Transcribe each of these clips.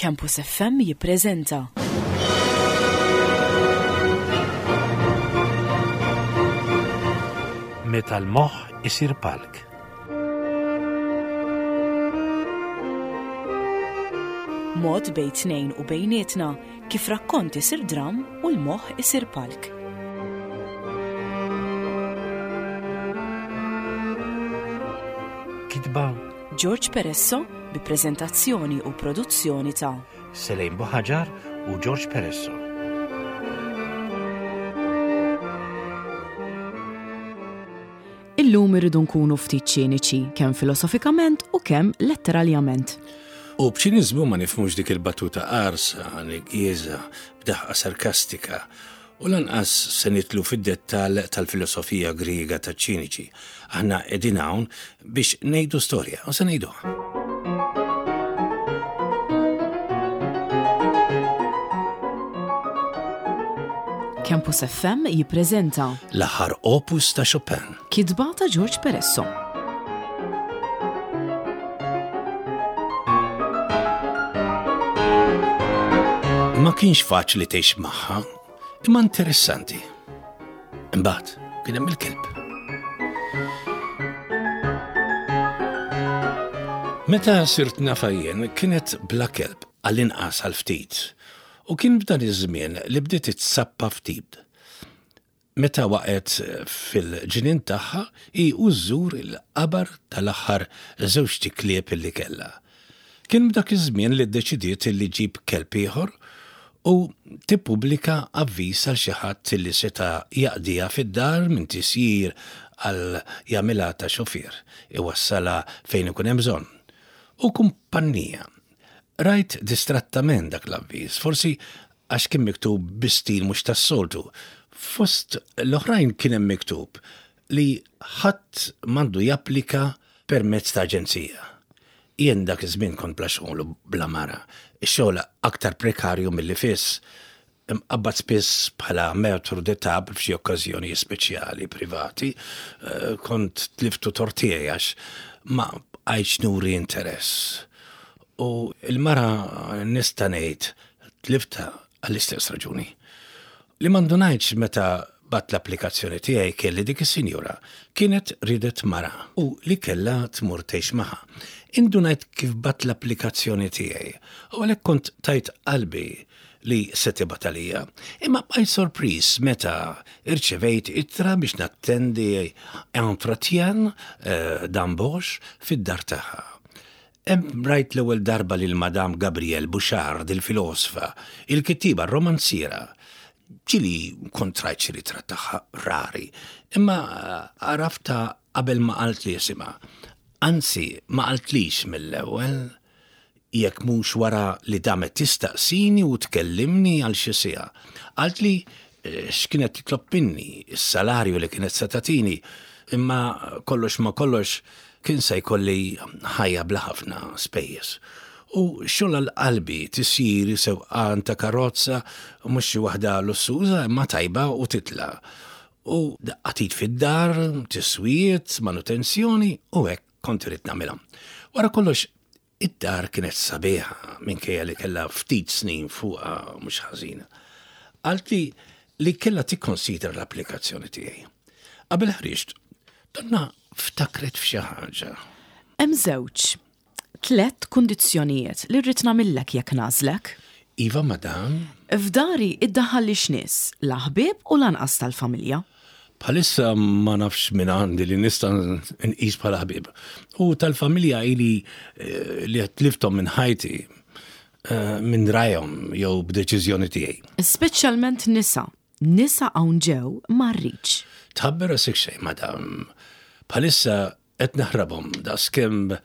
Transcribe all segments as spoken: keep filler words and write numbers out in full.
Campus F M jippreżenta Meta l-moħħ isir palk. Mod bejn tnejn u bejnietna kif rakkont isir dram u l-moħħ isir palk. Kitba George Peresso bi preżentazzjoni u produzzjoni ta' Selejn Buħaġar u George Peresso. Illum irridu nkunu ftit ċiniċi, kemm filosofikament u kemm letteralment. U b'ċiniżmu ma nifhmux dik il-battuta qarsa, nigieza, b'daħqa sarkastika, u lanqas se nidħlu fid-dettall tal-filosofija Griega taċ-ċiniċi. Aħna qegħdin hawn biex ngħidu storja u se ngħiduha. Campus F M jippreżenta L-aħħar opus ta' Chopin. Kitba ta' George Peresso. Ma kienx faċli tgħix magħha, imma interessanti. Imbagħad kien hemm il-kelb. Meta sirt nafha jien kienet bla kelb, għall-inqas għal ftit. U kien f'dan iż-żmien li bdiet itsappa ftit. Meta waqgħet fil-ġnien tagħha hi u żżur il-qabar tal-aħħar żewġt iklieb li kellha. Kien b'dak iż-żmien li ddeċidiet li ġġib kelb ieħor u tippubblika avviż għal xi ħadd li seta' jaqdiha fid-dar, minn tisjir għal jagħmilha ta' xufier, iwassalha fejn ikun hemm bżonn. U kumpanija. Rajt distrattament dak l-avviż, forsi għax kien miktub bi stil mhux tas-soltu. Fost l-oħrajn kien hemm miktub li ħadd m'għandu japplika permezz ta' aġenzija. Jien dak iż-żmien kont bla xogħol u bla mara. Ix-xogħol aktar prekarju milli fiss. Imqabbad spiss bħala maître de table f'xi okkażjoni speċjali privati, eh, kont tliftu tort tiegħi għax ma bqajtx nuri interess. U il-mara, nista' ngħid, tliftha għall-istess raġuni. Li ma ndunajtx meta bgħatt l-applikazzjoni tiegħi kien li dik is-sinjura kienet ridet mara u li kellha tmur tgħix magħha. Indunajt kif bgħatt l-applikazzjoni tiegħi u għalhekk kont tajt qalbi li se tibgħat għalija. Imma bqajt sorpriż meta irċevejt ittra biex nattendi entretien eh, d'embauche fid-dar tagħha. Hemm rajt l-ewwel darba lil Madame Gabrielle Bouchard, il-filosfa, il-kittiba romanziera. Ġieli kont rajt xi ritratt tagħha, rari, imma għaraftha qabel ma qaltli isimha. Anzi, ma qaltlix mill-ewwel, jekk mhux wara li damet tistaqsini u tkellimni għal xi siegħa. Qaltli eh, x'kienet titlob minni, is-salarju li kienet se tagħtini, imma kollox ma kollox kien se jkolli ħajja bla ħafna spejjeż. U xogħol għal qalbi, tisjir, sewqan ta' karozza, mhux xi waħda lussuża, imma tajba u titla'. U daqqa t'id fid-dar, tiswijiet, manutenzjoni, u hekk kont irid nagħmilha. Wara kollox, id-dar kienet sabiħa minkejja li kellha ftit snin fuqha mhux ħażina. Qaltli li kellha tikkonsidra l-applikazzjoni tiegħi. Qabel ħriġt, donnha ftakret f'xi ħaġa. Hemm żewġ, tlet kundizzjonijiet li rrid nagħmillek jekk nagħżlek. Iva, madam. F'dari iddaħħallix nies, la ħbieb u lanqas tal-familja. Bħalissa ma nafx min għandi li nista' nqis bħala ħbieb. U tal-familja ili eh, li tlifthom minn ħajti eh, minn rajhom jew b'deċiżjoni tiegħi. Speċjalment nisa. Nisa hawn ġew ma rridx. Tħabbi rasek xejn, madam. Bħalissa qed naħrabhom daqskemm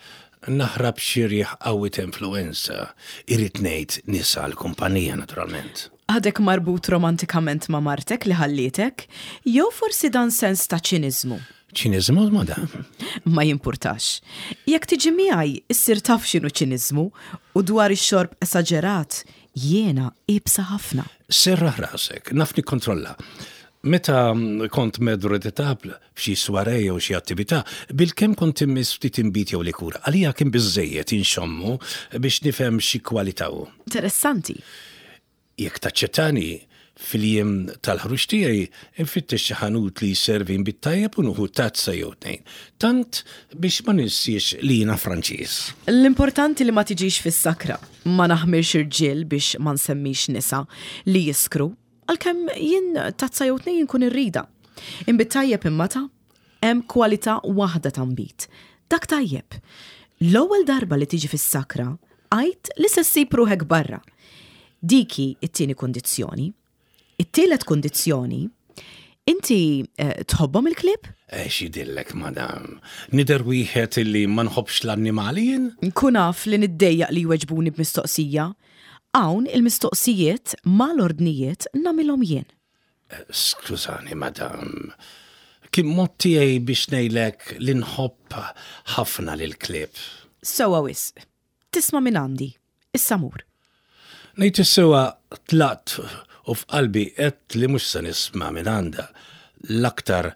naħrab xi riħ qawwi ta' influenza. Irrid ngħid nisa l-kumpanija, naturalment. Għadek marbut romantikament ma' martek li ħallietek, jew forsi dan sens ta' ċiniżmu? Ċiniżmu, madam? Ma jimpurtax. Jekk tiġi miegħi, issir taf x'inhu ċiniżmu, u dwar ix-xorb esaġerat, jiena iebsa ħafna. Serraħ rasek, naf nikkontrolla. Meta kont maître de table f'xi soirée jew xi attività, bilkemm kont immiss ftit inbid jew likur. Għalija kien biżejjed inxommu biex nifhem xi kwalità hu. Interessanti. Jekk taċċettani fil-jiem tal-ħruġ tiegħi infittex xi ħanut li jservi nbid tajjeb u nieħu tazza jew tnejn. Tant biex ma ninsiex li jiena Franċiż. L-importanti li ma tiġix fis-sakra. Ma naħmirx irġiel biex ma nsemmix nisa li jiskru, għalkemm jien tazza jew tnejn nkun irrida. Inbid tajjeb imma ta' hemm kwalità waħda ta' nbid. Dak tajjeb. L-ewwel darba li tiġi fis-sakra, għid li se ssib ruħek barra. Dik hi it-tieni kundizzjoni. It-tielet kundizzjoni, inti eh, tħobbhom il-klieb? Eh, x'jidhirlek, madam. Nidher wieħed illi ma nħobbx l-annimali jien? Nkun naf li niddejjaq li jweġbuni b'mistoqsija. Hawn il-mistoqsijiet mal-ordnijiet nagħmilhom jien. Skużani, madam. Kien mod tiegħi biex ngħidlek li nħobb ħafna lil klieb. Sewwa wisq. Tisma' minn għandi. Issa mur. Ngħid is-sewwa tlaqt u f'qalbi għedt li mhux se nisma' minn għandha l-aktar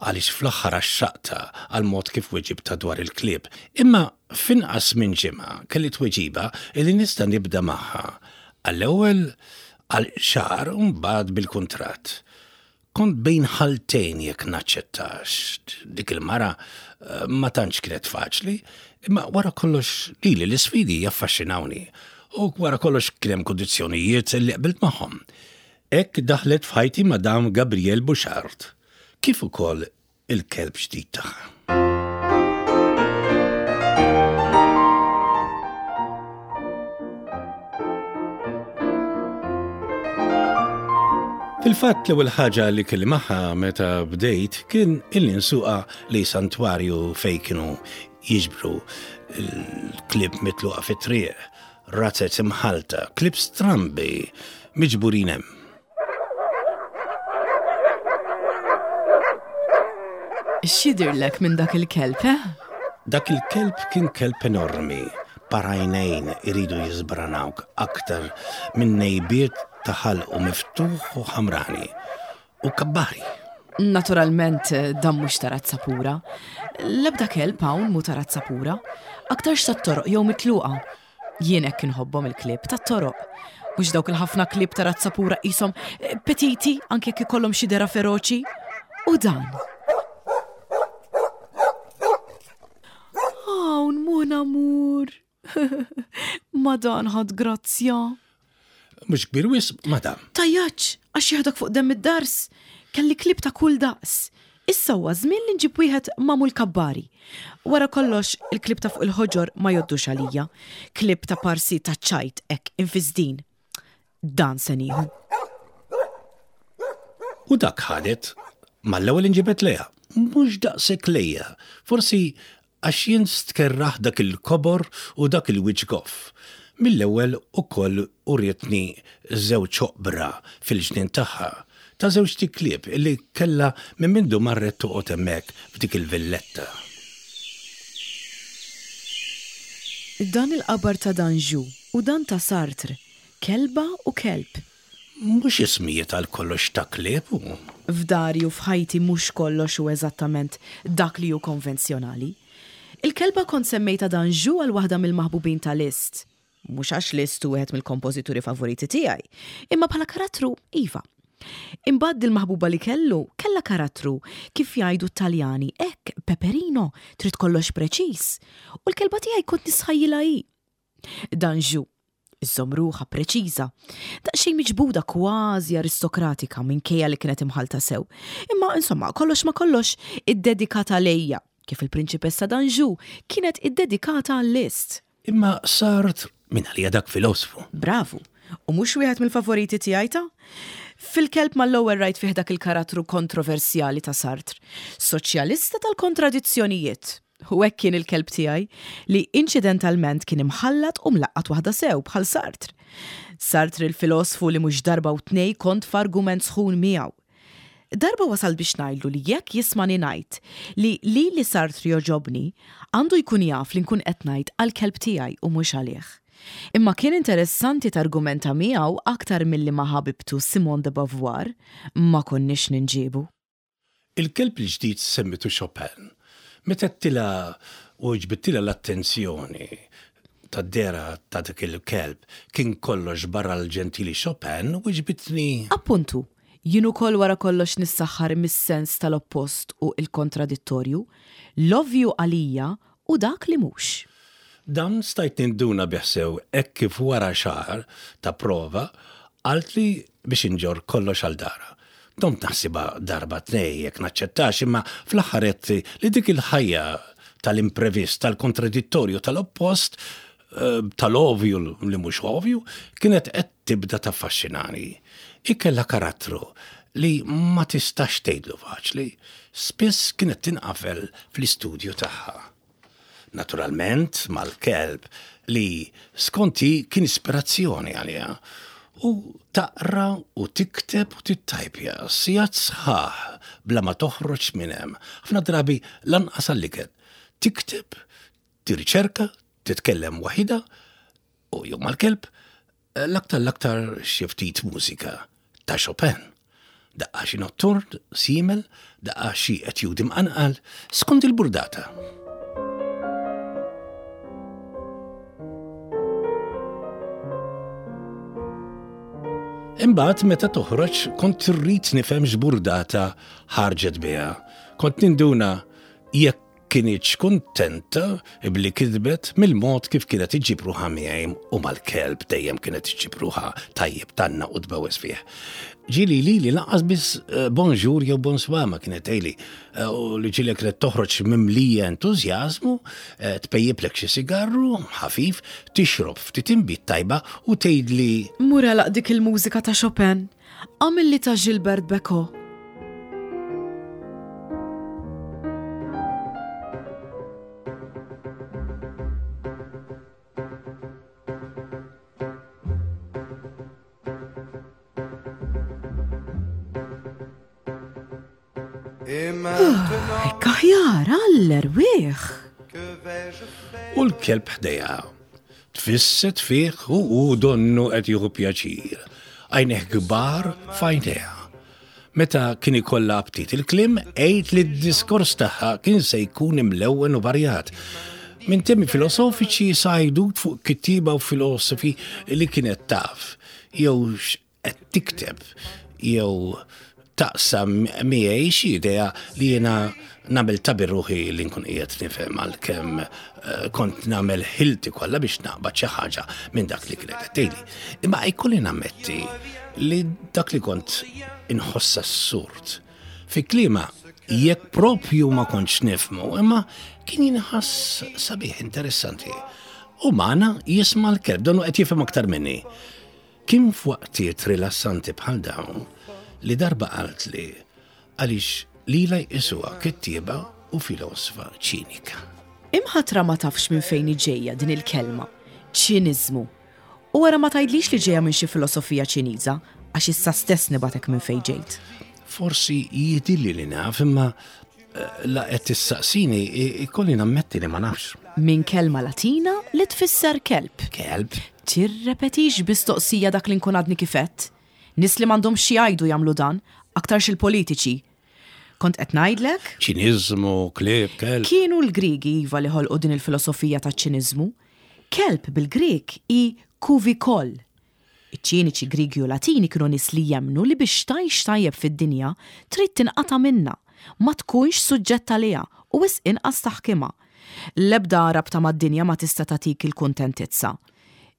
għaliex fl-aħħar għaxxaqtha għal mod kif weġibtha dwar il-klieb. Imma f'inqas minn ġimgħa kelli tweġiba li nista' nibda magħha. Għall-ewwel għal xahar u mbagħad bil-kuntratt. Kont bejn ħaltejn jekk naċċettax. Dik il-mara eh, ma tantx kienet faċli, imma wara kollox lili l-isfidi jaffaxxinawni. U wara kollox kien hemm kundizzjonijiet li qbilt magħhom. Hekk daħlet f'ħajti Madame Gabrielle Bouchard, kif ukoll il-kelb ġdid tagħha. Fil-fatt l-ewwel ħaġa li kelli magħha meta bdejt kien illi nsuqha lejn santwarju fejn kienu jiġbru l-klieb mitluqa fit-triq, razzez imħalta, klieb strambi miġburin hemm. X'jidhirlek minn dak il-kelb, eh? Dak il-kelb kien kelb enormi, par għajnejn iridu jiżbranawk aktar minn nejbiet ta' ħalqu miftuħ u ħamrani u kabbari. Naturalment, dan mhux ta' razza pura. L-ebda kelb hawn mhu ta' razza pura. Aktarx tat-toroq jew mitluqa. Jien hekk inħobbhom il-klieb tat-toroq. Mhux dawk il-ħafna klieb ta' razza pura qishom eh, petiti anke jekk ikollhom xi dehra feroċi. U dan. Hawn mon amour. Ma dan ħadd grazzja. Mhux kbir wisq, madam. Tgħajjatx, għax jieħdok fuq demm id-dars. Kelli klieb ta' kull daqs. Issa huwa żmien li nġib wieħed magħmul kabbari. Wara kollox, il-klieb ta' fuq il-ħoġor ma jgħoddux għalija. Klieb ta' parsi ta' ċajt hekk infisdin. Dan se nieħu. U dak ħadet, mal-ewwel inġibet lejha. Mhux daqshekk lejja. Forsi għax jien stkerraħ dak il-kobor u dak il-wiċċ goff. Mill-ewwel ukoll urietni żewġ oqbra fil-ġnien tagħha ta' żewġt iklieb illi kellha minn mindu marret toqgħod hemmhekk f'dik il-villetta. Dan il-qabar ta' Danjou u dan ta' Sartre, kelba u kelb. Mhux ismijiet għal kollox ta' klieb u. F'dari u f'ħajti mhux kollox u eżattament dak li hu konvenzjonali. Il-kelba kont semmejta Danjou għal waħda mill-maħbubin ta' Liszt. Mhux għax Liszt hu wieħed mill-kompożituri favoriti tiegħi, imma bħala karattru iva. Imbagħad il-maħbuba li kellu kellha karattru kif jgħidu t-Taljani, hekk peperino, trid kollox preċiż. U l-kelba tiegħi kont nisħajjilha hi. Danjou, iżżomm ruħha preċiża, daqsxejn miġbuda kważi aristokratika minkejja li kienet imħalta sew. Imma insomma, kollox ma kollox iddedikata lejja, kif il-prinċipessa Danjou kienet iddedikata għal Liszt. Imma Sartre min għalija dak filosfu. Bravu, u mhux wieħed mill-favoriti tiegħi ta'? Fil-kelb mal-ewwel rajt fih dak il-karattru kontroversjali ta' Sartre, soċjalista tal-kontradizzjonijiet. U hekk kien il-kelb tiegħi li inċidentalment kien imħallat u mlaqqat waħda sew bħal Sartre. Sartre il-filosfu li mhux darba u tnej kont f'argument sħun miegħu. Darba wasal biex ngħidlu li jekk jismani ngħid li li li Sartre joġobni, għandu jkun jaf li nkun qed ngħid għall-kelb tiegħi u mhux għalih. Imma kien interessanti targumenta miegħu aktar milli ma' ħabibtu Simone de Beauvoir, ma konniex ninġiebu. Il-kelb il-ġdid semmitu Chopin. Meta għedtilha u ġbidtilha l-attenzjoni tad-dehra ta' dak il-kelb kien kollox barra l-ġentili Chopin u ġbitni. Appuntu, jien ukoll wara kollox nissaħħar mis-sens tal-oppost u il-kontradittorju, l-ovvju għalija u dak li mhux. Dan stajt ninduna bih sew hekk kif wara xahar ta' prova qaltli biex inġorr kollox għal darha. Domt naħsibha darba tnejn jekk naċċettax imma fl-aħħar għedt li dik il-ħajja tal-imprevist, tal-kontradittorju, tal-oppost, eh, tal-ovju li mhux ovju, kienet qed tibda taffaxxinani. Ikella karattru li ma tistax tgħidlu faċli, spiss kienet tinqafel fl-istudju tagħha. Naturalment mal-kelb li skonti kien ispirazzjoni għaliha. U taqra u tikteb u tittajpja sigħat sħaħ bla ma toħroġ minn hemm. Ħafna drabi lanqas għall-ikel. Tikteb, tirriċerka, titkellem waħidha u jew mal-kelb, l-aktar l-aktar xi ftit mużika ta' Chopin. Daqqa xi notturn, Simmel, daqqa xi etjudi mqanqal, skont il-burdata. Imbagħad meta toħroġ kont irrid nifhem x'burdata ħarġet biha. Kont ninduna jekk kinitx kuntenta bli kitbet mill-mod kif kienet iġġib ruħha miegħi u mal-kelb dejjem kienet iġġib ruħha tajjeb tanna u tbewes fih. Ġieli li li lanqas biss eh, bonjour jew bonsoir ma kienet tgħidli eh, u li ġieli kienet toħroġ mimlija entużjażmu, eh, tpejjiplek xi sigarru ħafif, tixrob ftit inbid tajba u tgħidli Mur għalaq dik il-mużika ta' Chopin, għamilli ta' Gilbert Bécaud. Hekk aħjar għall-erwieħ. U l-kelb ħdejha. Tfisset fih u hu donnu qed jieħu pjaċir. Għajneh kbar f'għajnejha. Meta kien ikollha aptit il-kliem, għidt li d-diskors tagħha kien se jkun imlewwen u varjat. Minn temi filosofiċi sa għajdut fuq kittieba u filosofi li kienet taf, jew x'qed tikteb, jew taqsam miegħi xi idea li jiena nagħmel ta' ruħi li nkun qiegħed nifhem għalkemm eh, kont nagħmel ħilti kollha biex naqbad xi ħaġa minn dak li kienet qed tgħidli. Imma jkolli nammetti li dak li kont inħossa assurd. Fi klima jekk propju ma kontx nifhmu, imma kien jinħass sabiħ interessanti. U magħna jisma' l-kelb, donnu qed jifhem aktar minni. Kien f'waqtiet rilassanti bħal dawn li darba qalt li għaliex lila jqisuha kittieba u filosofa ċinika. Imħatra ma tafx minn fejn ġejja din il-kelma, ċiniżmu. U wara ma tgħidlix li ġejja minn xi filosofija Ċiniża, għax issa stess nibatek minn fejn ġejt. Forsi jidhirli li naf, imma eh, la qed tissaqsini ikolli nammetti li ma nafx. Minn kelma Latina li tfisser kelb. Kelb? Tirrepetix bistoqsija dak li nkun għadni kif għedt. Nies li m'għandhom xi jgħidu jagħmlu dan, aktarx il-politiċi. Kont qed ngħidlek? Ċiniżmu, klieb, kelb. Kienu l-Griegi iva li ħolqu din il-filosofija ta' ċiniżmu. Kelb bil-Grieg hi kuvikol. Iċ-ċiniċi Griegi u Latini kienu nies li jemmnu li biex tgħix tajjeb fid-dinja trid tinqata' minnha, ma tkunx suġġett għaliha u wisq inqas taħkimha. L-ebda rabta mad-dinja ma tista' tagħtik il-kuntentizza.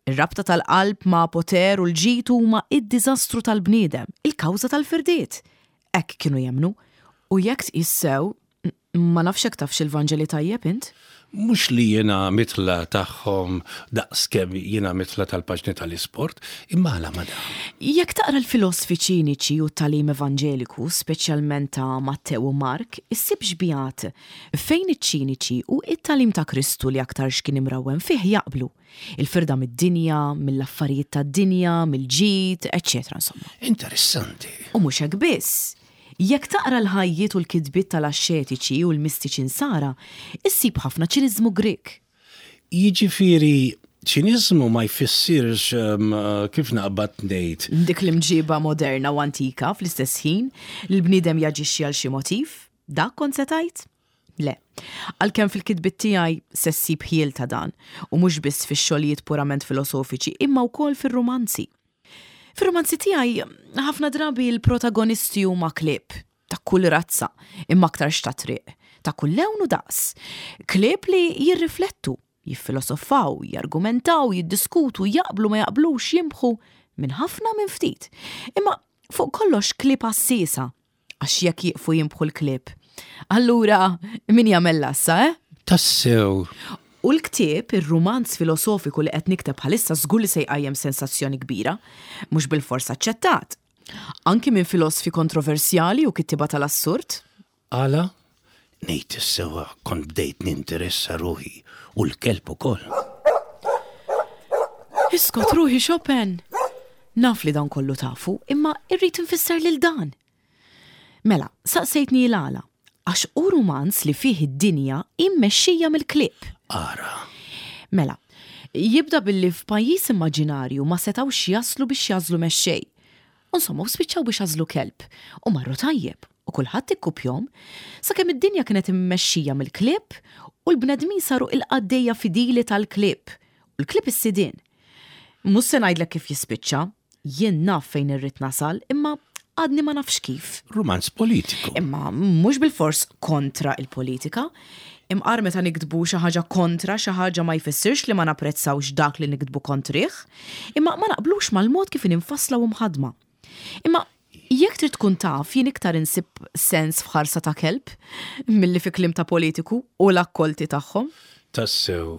Ir-rabta tal-qalb ma' poter u l-ġid huma id-diżastru tal-bniedem, il-kawża tal-firdiet. Hekk kienu jemmnu. U jekk tqis sew, ma nafx hekk tafx il-Vanġeli tajjeb int? Mhux li jiena mitla tagħhom daqskemm jiena mitla tal-paġni tal-isport, imma għala ma dan. Jekk taqra l-filosfi ċiniċi u t-tagħlim evanġeliku, speċjalment ta' Mattew u Mark, issib xbihat fejn iċ-ċiniċi u it-tagħlim ta' Kristu li aktarx kien imrawwem fih jaqblu. Il-firda mid-dinja, mill-affarijiet tad-dinja, mill-ġid, eċċetera, insomma. Interessanti. U mhux hekk biss. Jekk taqra l-ħajjiet u l-kitbiet tal-axxetiċi u l-mistiċi nsara, issib ħafna ċiniżmu Grek. Jiġifieri Ċiniżmu ma jfissirx um, kif naqbad ngħid. Dik l-imġiba moderna u antika fl-istess ħin li l-bniedem jaġixxi għal xi motiv, dak kont se tgħid? Le. Għalkemm fil-kitbiet tiegħi se ssib ħjiel ta' dan, u mhux biss fix-xogħlijiet purament filosofiċi, imma wkoll fir-rumanzi. Fir-rumanzi tiegħi ħafna drabi l-protagonisti huma klieb ta' kull razza, imma aktarx ta' triq, ta' kull lewn u daqs. Klieb li jirriflettu, jiffilosofaw, jargumentaw, jiddiskutu, jaqblu ma jaqblux, jimbħu minn ħafna minn ftit. Imma fuq kollox klieb għassiesa, għax jekk jiqfu jimbħu l-klieb. Allura, min jagħmel l-għassa, eh? Tassew. U l-ktieb, ir-rumanz filosofiku li qed nikteb bħalissa żgur li se jqajjem sensazzjoni kbira, mhux bilfors aċċettat. Anki minn filosfi kontroversjali u kittiba tal-assurd. Għala? Ngħid is-sewwa kont bdejt ninteressa ruħi u l-kelb ukoll. Iskot ruħi Chopin. Naf li dan kollu tafu, imma irrid nfisser lil dan. Mela, saqsejtni l-għala, għax hu rumanz li fih id-dinja immexxija mill-klieb. Ara. Mela, jibda billi f'pajjiż immaġinarju ma setawx jaslu biex jagħżlu mexxej. Insomma, u spiċċaw biex għażlu kelb u marru tajjeb u kulħadd ikkupjahom sakemm id-dinja kienet immexxija mill-klieb u l-bnedmin saru il-qaddejja fidili tal-klieb u l-klieb is-sidien. Mhux se ngħidlek kif jispiċċa, jien naf fejn irrid nasal, imma għadni ma nafx kif. Rumanz politiku. Imma mhux bilfors kontra il-politika. Imqar meta niktbu xi ħaġa kontra xi ħaġa ma jfissirx li ma napprezzawx dak li niktbu kontrih, imma ma naqblux mal-mod kif infassla u mħadma. Imma jekk trid tkun taf jien iktar insib sens f'ħarsa ta' kelb milli fi kliem ta' politiku u l-akkolti tagħhom. Tassew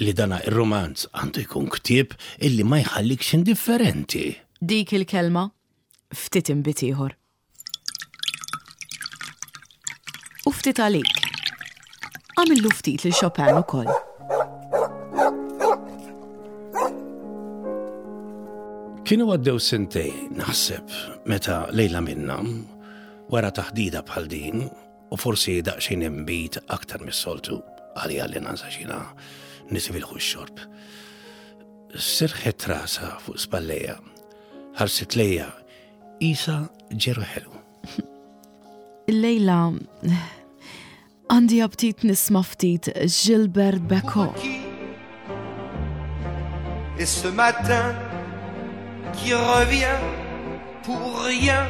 li dana ir-romanz għandu jkun ktieb illi ma jħallikx indifferenti. Dik il-kelma ftit inbid ieħor. U ftit għalik. Għamillu ftit lil Chopin ukoll. Kienu għaddew sentej, naħseb, meta lejla minna, wara taħdida bħal din, u forsi daqsxejn inbid aktar mis-soltu, għalija li nansa xina nisibilħu x-xorb. Sirħet rasa fuq spallejja, ħarset lejja, isa ġeru ħelu. Lejla, għandi aptit nisma ftit Gilbert Bécaud. Et ce matin qui revient pour rien,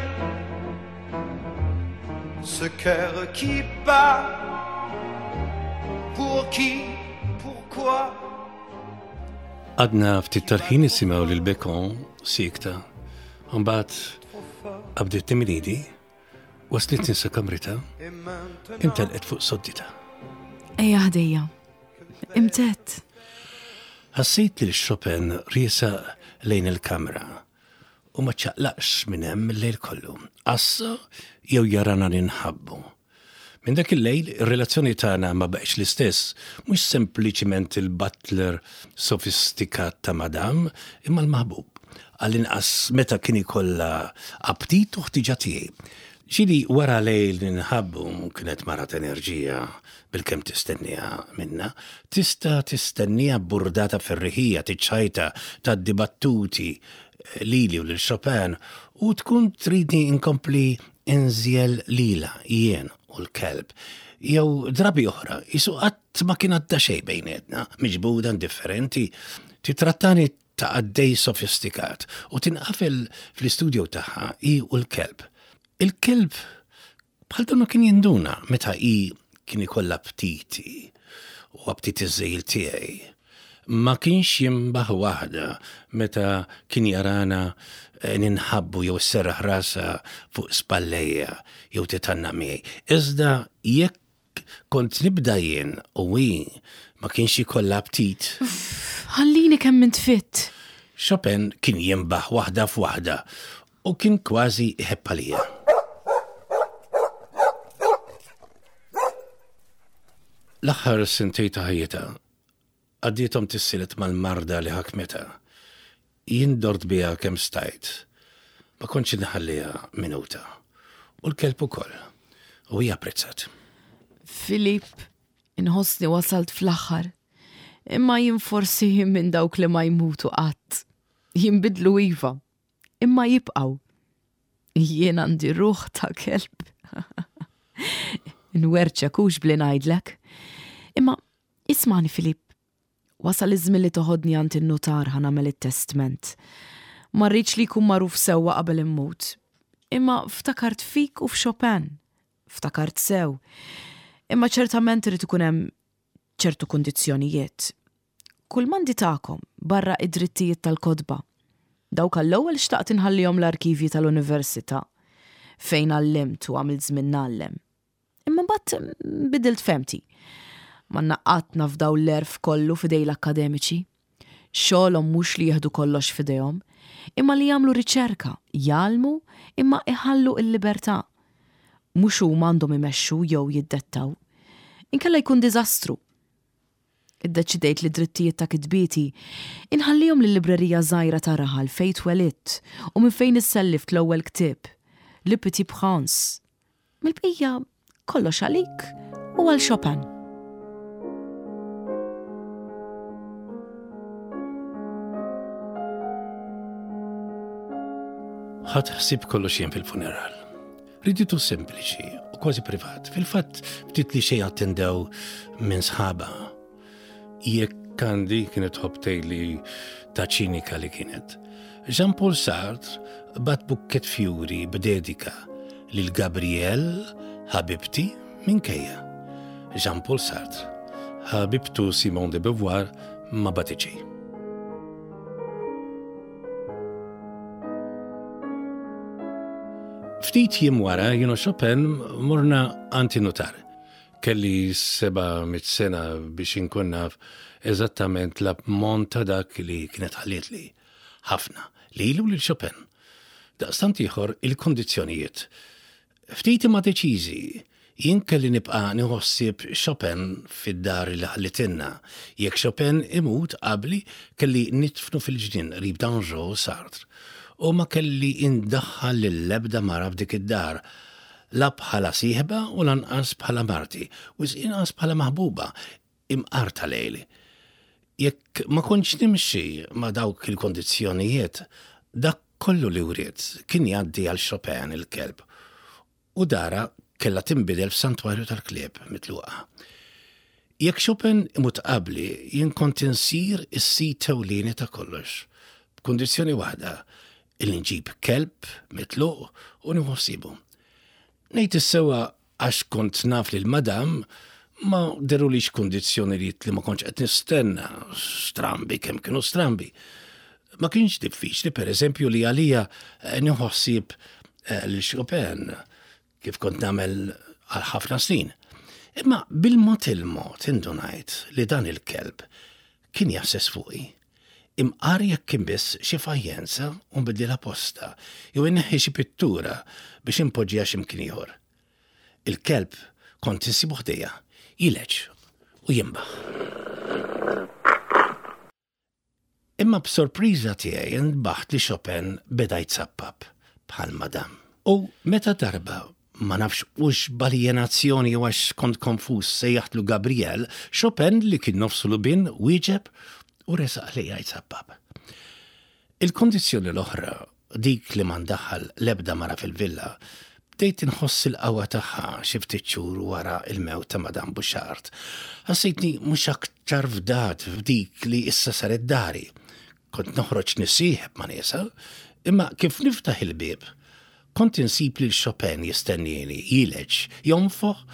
ce cœur qui bat, pour qui, pourquoi? Għadna ftit tal-ħin nisimgħu lil Bécaud sikta. Mbagħad qabditni minn idi, waslitni sa kamrita, imtelqet fuq soddita. Ejja ħdejja, imtett. Ħassejt li Chopin riesa lejn il-kamra u ma ċaqlaqx minn hemm il-lejl kollu. Assa jew jarana ninħabbu. Minn dak il-lejl, ir-relazzjoni tagħna ma baqgħetx l-istess, mhux sempliċiment il-butler sofistikat ta' madam, imma l-maħbub. Għall-inqas meta kien ikollha aptit u ħtiġa tiegħi. Ġieli wara lejl ninħabbu kienet mara enerġija bil-kemm tistenniha minna, tista' tistenniha burdata ferriħija, tiċċajta, tgħaddi battuti lili u lil Chopin u tkun tridni inkompli inżjel lila jien u l-kelb. Jew drabi oħra, jisu qatt ma kien għadda xejn bejnietna, miġbuda indifferenti, titrattani ta' għaddej sofistikat u tinqafel fl-istudio tagħha hi u l-kelb. Il-kelb bħal donnu kien jinduna meta hi kien ikollha aptiti u aptiti żejl tiegħi. Ma kienx jimbaħ waħda meta kien jarana ninħabbu jew serraħ rasa fuq spallejja jew titanna miegħi. Iżda jekk kont nibda jien u hi ma kienx ikollha aptit. Ħallini kemm intfitt. Chopin kien jimbaħ waħda f'waħda u kien kważi iħebb għalija. L-aħħar sentej ta' ħajjitha għaddietom tissilet mal-marda li ħakmetha. Jien dort biha kemm stajt. Ma kontx inħalliha minuta. U l-kelb ukoll. U hija apprezzat. Filip, inħossni wasalt fl-aħħar. Imma jien forsi minn dawk li ma jmutu qatt. Jinbidlu iva, imma jibqgħu. Jien għandi ruħ ta' kelb. Nwerċek hux bli ngħidlek. Imma ismani Filip, wasal iż-żmien li toħodni għand in-nutar ħa nagħmel it-testment. Ma rridx li jkun magħruf sewwa qabel immut. Imma ftakart fik u f'Chopin. Ftakart sew. Imma ċertament irid ikun hemm ċertu kundizzjonijiet. Kull mandi tagħkom barra id-drittijiet tal-kotba. Dawk għall-ewwel xtaqt inħallihom l-arkivji tal-università fejn għallimt u għamilt żmien ngħallem. Imma mbagħad bidilt femti. Ma naqqatna f'daw l-erf kollu f'idej l-akkademiċi. Xogħolhom mhux li jieħdu kollox f'idejhom, imma li jagħmlu riċerka, jgħallmu imma iħallu l-libertà. Mhux huma għandhom imexxu jew jiddettaw. Inkella jkun diżastru. Iddeċidejt li drittijiet ta' kitbieti inħallihom lil-librerija żgħira ta' raħal fejn twelidt u minn fejn issellift l-ewwel ktieb, Le Petit Prince. Mill-bqija kollox għalik u għal Chopin. Ħadd ħsieb kollox jien fil-funeral. Riditu sempliċi u kważi privat. Fil-fatt ftit li xejn attendew minn sħaba. Jekk Kandi kienet tħobb tgħidli ta' ċinika li kienet. Jean-Paul Sartre bat bukket fjuri b'dedika lil Gabrielle ħabibti minkejja. Jean-Paul Sartre, ħabibtu Simone de Beauvoir ma batiċi. Ftit jiem wara jien u Chopin morna għand in-nutar. Kelli seba' mitt sena biex inkun naf eżattament l-ammont ta' dak li kienet ħallietli. Ħafna, lilu lil Chopin. Daqstant ieħor il-kondizzjonijiet. Ftit imma deċiżi, jien kelli nibqa' nieħu ħsieb Chopin fid-dar li ħallitilna. Jekk Chopin imut qabli kelli nidfnu fil-ġnien qrib Dangeau u Sartre. U ma kelli indaħħal lill-ebda mara f'dik id-dar, la bħala sieħba u lanqas bħala marti, u inqas bħala maħbuba, imqar ta' lejli. Jekk ma kontx nimxi ma' dawk il-kondizzjonijiet, dak kollu li wriet kien jgħaddi għal Chopin il-kelb, u dara kellha tinbidel f'santwarju tal-klieb mitluqa. Jekk Chopin imut qabli, jien kont insir is-sit ewlieni ta' kollox, b'kundizzjoni waħda, illi nġib kelb mitluq u nieħu ħsiebu. Ngħid is-sewwa għax kont naf lil madam ma derulix kundizzjonijiet li ma kontx qed nistenna, strambi kemm kienu strambi. Ma kienx diffiċli pereżempju li għalija nieħu ħsieb lil Chopin kif kont nagħmel għal ħafna snin. Imma bil-mod il-mod indunajt li dan il-kelb kien jassess fuqi. Imqar jekk kien biss xi fajjenza u nbiddilha posta, jew inneħħi xi pittura biex inpoġġiha x'imkien ieħor. Il-kelb kont insibu ħdejja, jileġ u jinbaħ. Imma b'sorpriża tiegħi nbaħt li Chopin beda jitsappap bħal madam. U meta darba ma nafx hux b'aljenazzjoni jew għax kont konfuż sejjaħtlu Gabriel, Chopin li kien nofsu lubin wieġeb u resaq lejja jitsappap. Il-kondizzjoni l-oħra, dik li ma ndaħħal l-ebda mara fil-villa, bdejt inħoss il-qawwa tagħha xi ftit xhur wara il-mewt ta' Madame Bouchard. Ħassejtni mhux aktar fdat f'dik li issa saret dari. Kont noħroġ nisieħeb ma' niesa, imma kif niftaħ il-bieb, kont insib lil Chopin jistennieni, jileġ, jonfoħ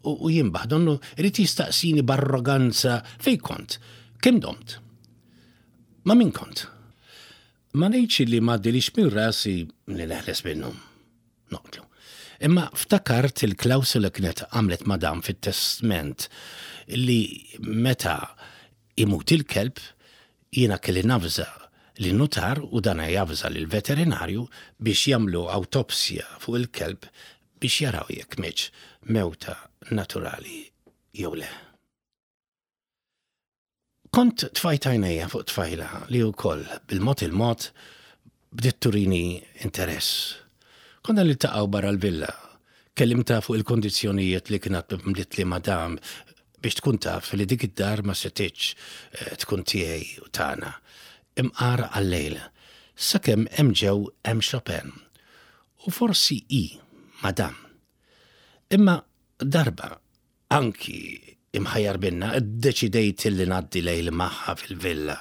u jinbaħ, donnu irid jistaqsini b'arroganza fejn kont, kemm domt. Ma min kont? Ma ngħidx li ma għaddilix minn rasi li neħles minnu. Noqtlu. Imma ftakart il-klawsula kienet għamlet madam fit-testment li meta imut il-kelb jiena kelli navża li nutar u dana javża lil veterinarju biex jagħmlu awtopsja fuq il-kelb biex jaraw jekk mietx mewta naturali jew le. Kont tfajt għajnejja fuq tfajla li wkoll bil-mod il-mod bdiet turini interess. Konna niltaqgħu barra l-villa, kellimta fuq il-kondizzjonijiet li kienet mlitli madam Biex tkun taf li dik id-dar ma setgħetx eh, tkun tiegħi u tagħna. Imqar għal-lejl. Sakemm hemm ġew hemm Chopin. U forsi i, madam. Imma darba, anki imħajjar binna, iddeċidejt li ngħaddi lejl magħha fil-villa.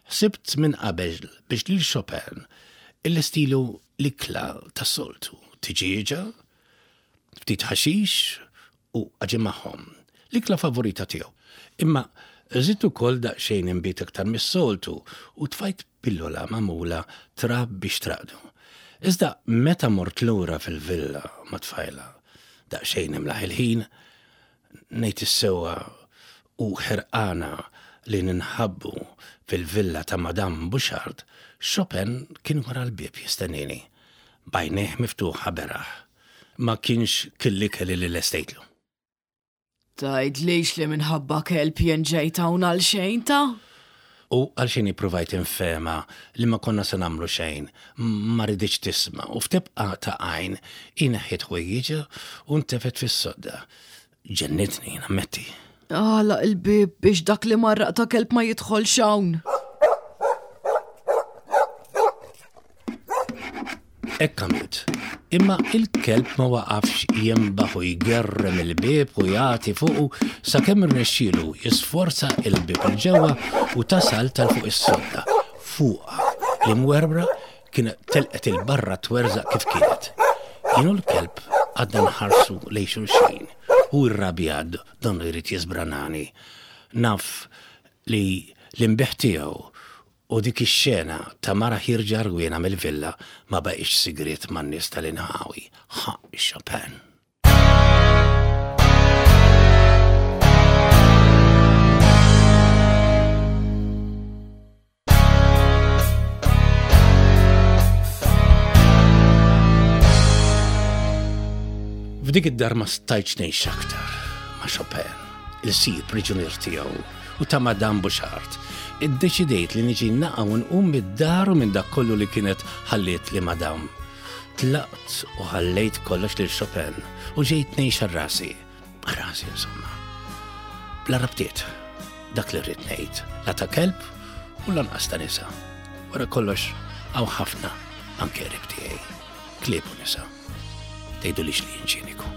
Sibt minn qabel biex lil Chopin il-stilu l-ikla tas-soltu, tiġieġa, ftit ħaxix u għaġin magħhom. L-ikla favorita tiegħu. Imma żidt ukoll daqsxejn inbid aktar mis-soltu u tfajt pillola magħmula trab biex traqdu. Iżda meta mort lura fil-villa ma' tfajla, daqsxejn imlaħ il-ħin, ngħid is-sewwa u ħerqana li ninħabbu fil-villa ta' Madame Bouchard, Chopin kien wara l-bieb jistennini, b'għajnejh miftuħa beraħ. Ma kienx kiel l-ikel li lestejtlu. Tgħidlix li minħabba kelb jien ġejt hawn għal xejn ta'? U għalxejn ippruvajt infehemha li ma konna se nagħmlu xejn, ma riditx tisma' u f'tebqa ta' għajn hi neħħiet ħwejjiġha u ntefgħet fis-sodda. Ġennitni, nammetti. Agħlaq il-bieb biex dak li marraq ta' kelb ma jidħolx hawn. Hekk għamilt. Imma il-kelb ma waqafx jembaħ u jgerrem il-bieb u jagħti fuqu sakemm irnexxielu jisforza il-bieb 'il ġewwa u tasal tal fuq is-sodda. Fuqha li mwerwra kien telqet il-barra twerżaq kif kienet. Jien u l-kelb għadna nħarsu lejn xulxin u rrabjad donnu jrid jiżbranani. Naf li l-imbiħ tiegħu u dik ix-xena ta' mara ħierġa rwiena mill-villa ma baqgħetx sigriet man-nies tal-inħawi. Ħa Chopin. F'dik id-dar ma stajtx ngħix aktar ma' Chopin, il-sir priġunier tiegħu u ta' Madame Bouchard. Iddeċidejt li niġi naqa' u nqum mid-dar u minn dak kollu li kienet ħalliet li Madame. Tlaqt u ħallejt kollox lil Chopin u ġejt ngħix għal rasi. Rasi insomma. Bla rabtiet, dak li rrid ngħid, la ta' kelb u lanqas ta' nisa. Wara kollox hawn ħafna anke qrib tiegħi, klieb u nisa. Tgħidulix li jien ċiniku.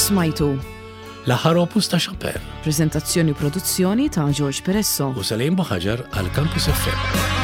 Smajtu. L-aħħar opus ta' Chopin. Prezentazzjoni u produzzjoni ta' George Peresso. U Salim Buħaġar għal Campus F M.